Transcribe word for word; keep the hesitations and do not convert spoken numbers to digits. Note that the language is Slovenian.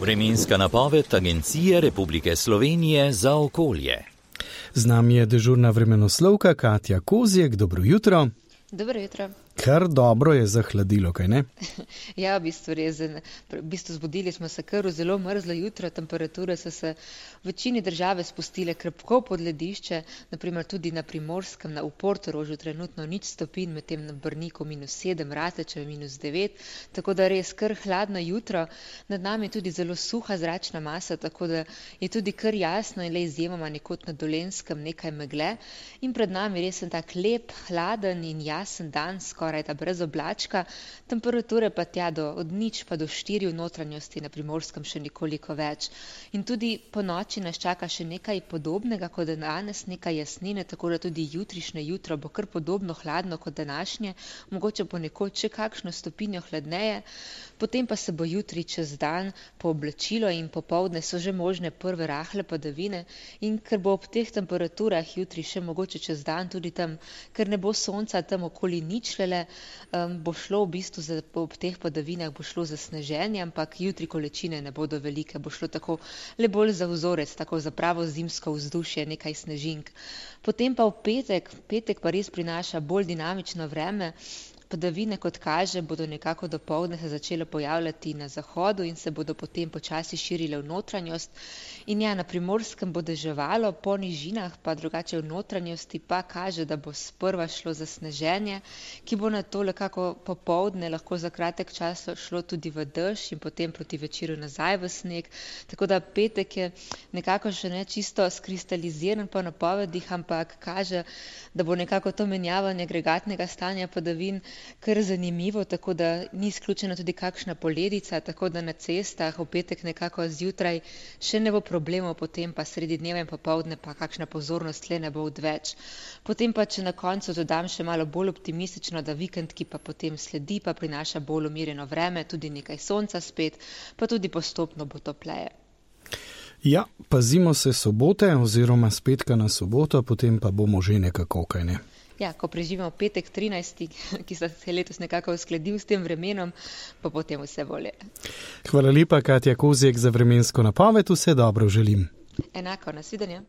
Vremenska napoved Agencije Republike Slovenije za okolje. Z nami je dežurna vremenoslovka Katja Kozjek. Dobro jutro. Dobro jutro. Kar dobro je zahladilo, kaj ne? Ja, v bistvu res. V bistvu zbudili smo se kar v zelo mrzlo jutro, temperature so se v večini države spustile krepko pod ledišče, naprimer tudi na Primorskem, na v Portorožu trenutno nič stopinj, medtem na Brniku minus sedem, Ratečev minus devet, tako da res kar hladno jutro. Nad nami je tudi zelo suha zračna masa, tako da je tudi kar jasno in le izjemoma nekod na Dolenjskem nekaj megle. In pred nami res en tak lep, hladen in jasen dan, skoraj da brez oblačka, temperature pa tja do od nič pa do štiri v notranjosti, na Primorskem še nekoliko več. In tudi po noči nas čaka še nekaj podobnega kot danes, nekaj jasnine, tako da tudi jutrišnje jutro bo kar podobno hladno kot današnje, mogoče ponekod še kakšno stopinjo hladneje, potem pa se bo jutri čez dan pooblačilo in popoldne so že možne prve rahle padavine in ker bo ob teh temperaturah jutri še mogoče čez dan tudi tam, ker ne bo sonca tam okoli ničlele, um, bo šlo v bistvu za, ob teh padavinah bo šlo za sneženje, ampak jutri količine ne bodo velike, bo šlo tako le bolj za vzorec, tako za pravo zimsko vzdušje, nekaj snežink. Potem pa v petek, petek pa res prinaša bolj dinamično vreme. Padavine, kot kaže, bodo nekako dopoldne se začele pojavljati na zahodu in se bodo potem počasi širile v notranjost. In ja, na Primorskem bo deževalo, po nižinah pa drugače v notranjosti pa kaže, da bo sprva šlo za sneženje, ki bo na to nekako popoldne lahko za kratek čas šlo tudi v dež in potem proti večeru nazaj v sneg. Tako da petek je nekako še ne čisto skristaliziran po napovedih, ampak kaže, da bo nekako to menjavanje agregatnega stanja padavin kar zanimivo, tako da ni izključena tudi kakšna poledica, tako da na cestah v petek nekako zjutraj še ne bo problemov, potem pa sredi dneva in popoldne pa kakšna pozornost le ne bo odveč. Potem pa, če na koncu dodam še malo bolj optimistično, da vikend, ki pa potem sledi, pa prinaša bolj umirjeno vreme, tudi nekaj sonca spet, pa tudi postopno bo topleje. Ja, pazimo se sobote oziroma s petka na soboto, potem pa bomo že nekako, kaj ne? Ja, ko preživimo petek trinajsti, ki se je letos nekako uskladil s tem vremenom, pa potem vse bolje. Hvala lepa, Katja Kozjek, za vremensko napoved. Vse dobro želim. Enako, nasvidenje.